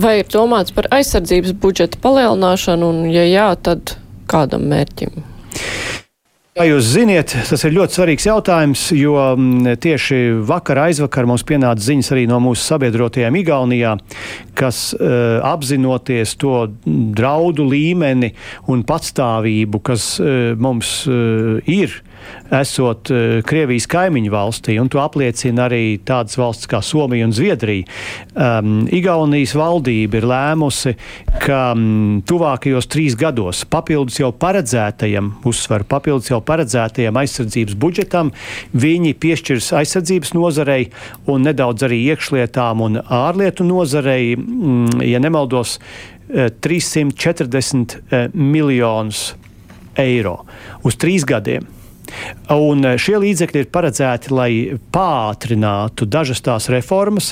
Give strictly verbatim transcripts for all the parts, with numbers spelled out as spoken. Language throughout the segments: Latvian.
Vai ir domāts par aizsardzības budžeta palielināšanu, un ja jā, tad kādam mērķim? Kā jūs ziniet, tas ir ļoti svarīgs jautājums, jo tieši vakar aizvakar mums pienāca ziņas arī no mūsu sabiedrotajiem Igaunijā, kas uh, apzinoties to draudu līmeni un patstāvību, kas uh, mums uh, ir, esot uh, Krievijas kaimiņu valstī, un to apliecina arī tādas valsts kā Somija un Zviedrija. Um, Igaunijas valdība ir lēmusi, ka um, tuvākajos trīs gados papildus jau paredzētajam, uzsveru papildus jau paredzētajam aizsardzības budžetam, viņi piešķirs aizsardzības nozarei un nedaudz arī iekšlietām un ārlietu nozarei, mm, ja nemaldos, trīssimt četrdesmit miljonus eiro uz trīs gadiem. Un šie līdzekļi ir paredzēti, lai pātrinātu dažas tās reformas,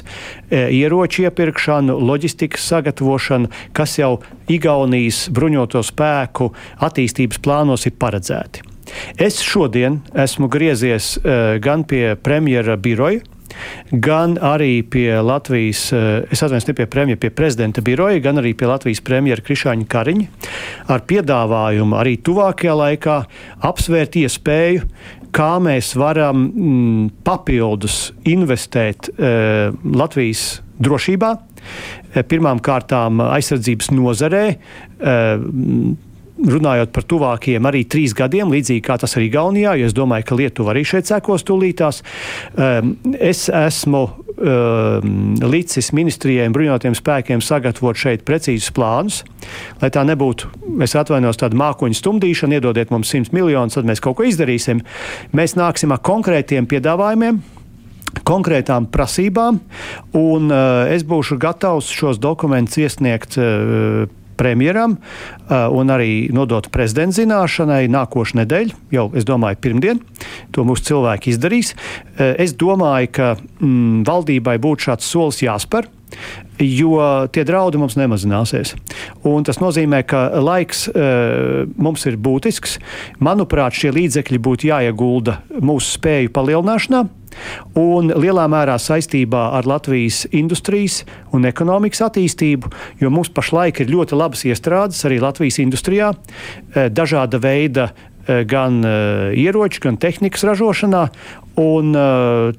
ieroču iepirkšanu, loģistikas sagatavošanu, kas jau Igaunijas bruņoto spēku attīstības plānos ir paredzēti. Es šodien esmu griezies gan pie premjera biroja, gan arī pie Latvijas, es atvainojos ne pie premjera, pie prezidenta biroja, gan arī pie Latvijas premjera Krišāņa Kariņa ar piedāvājumu arī tuvākajā laikā apsvērt iespēju, kā mēs varam mm, papildus investēt e, Latvijas drošībā, e, pirmām kārtām aizsardzības nozarē, e, runājot par tuvākajiem arī trīs gadiem, līdzīgi kā tas arī Igaunijā, jo es domāju, ka Lietuva arī šeit sekos tūlītās. Es esmu licis ministrijai un bruņotajiem spēkiem sagatavot šeit precīzus plānus, lai tā nebūtu, es atvainojos, tāda mākoņu stumdīšana, iedodiet mums simt miljonus, tad mēs kaut ko izdarīsim. Mēs nāksim ar konkrētiem piedāvājumiem, konkrētām prasībām, un uh, es būšu gatavs šos dokumentus iesniegt uh, premjeram uh, un arī nodot prezidenta zināšanai nākošu nedēļu, jau, es domāju, pirmdien. To mūsu cilvēki izdarīs. Uh, es domāju, ka mm, valdībai būtu šāds solis jāspēr, jo tie draudi mums nemazināsies. Un tas nozīmē, ka laiks uh, mums ir būtisks. Manuprāt, šie līdzekļi būtu jāiegulda mūsu spēju palielināšanā un lielā mērā saistībā ar Latvijas industrijas un ekonomikas attīstību, jo mums pašlaik ir ļoti labas iestrādes arī Latvijas industrijā, dažāda veida gan ieroču, gan tehnikas ražošanā, un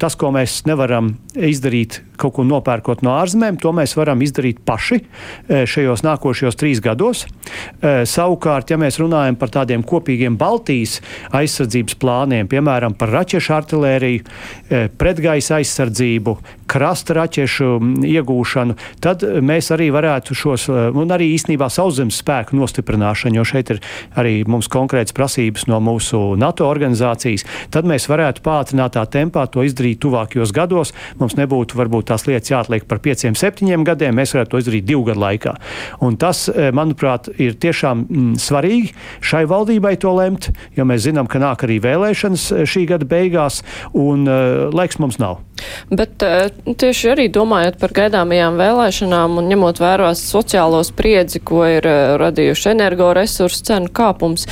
tas, ko mēs nevaram izdarīt kaut ko nopērkot no ārzemēm, to mēs varam izdarīt paši šajos nākošajos trīs gados. Savukārt, ja mēs runājam par tādiem kopīgiem Baltijas aizsardzības plāniem, piemēram, par raķešu artilēriju, pretgaisa aizsardzību, krasta raķešu iegūšanu, tad mēs arī varētu šos, un arī īstenībā sauszemes spēku nostiprināšanu, jo šeit ir arī mums konkrētas prasības no mūsu NATO organizācijas, tad mēs varētu pātrinātā tempā to izdarīt tuvākajos gados. Mums nebūtu varbūt tās lietas jāatliek par pieciem, septiņiem gadiem, mēs varētu to izdarīt divu gadu laikā. Un tas, manuprāt, ir tiešām mm, svarīgi šai valdībai to lemt, jo mēs zinām, ka nāk arī vēlēšanas šī gada beigās, un uh, laiks mums nav. Bet uh, tieši arī domājot par gaidāmajām vēlēšanām un ņemot vērā sociālo spriedzi, ko ir uh, radījuši energoresursu cenu kāpums,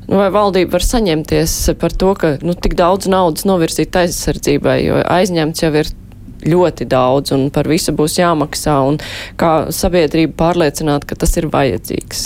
nu, vai valdība var saņemties par to, ka nu, tik daudz naudas novirzīt aizsardzībai, jo aizņemts jau ir ļoti daudz un par visu būs jāmaksā, un kā sabiedrība pārliecināt, ka tas ir vajadzīgs?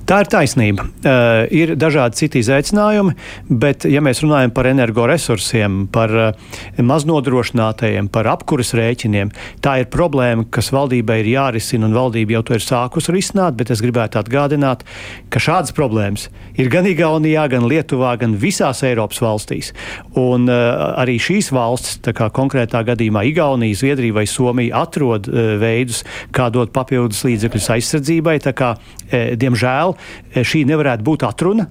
Tā ir taisnība. Uh, ir dažādi citi izaicinājumi, bet ja mēs runājam par energoresursiem, par uh, maznodrošinātajiem, par apkuras rēķiniem, tā ir problēma, kas valdībai ir jārisina, un valdība jau to ir sākus risināt, bet es gribētu atgādināt, ka šādas problēmas ir gan Igaunijā, gan Lietuvā, gan visās Eiropas valstīs. Un uh, arī šīs valstis, tā kā konkrētā gadījumā Igaunija, Zviedrija vai Somija atrod uh, veidus, kā dot papildus līdzekļus aizsardzībai, tā kā, e, diemžēl, šī nevarētu būt atruna,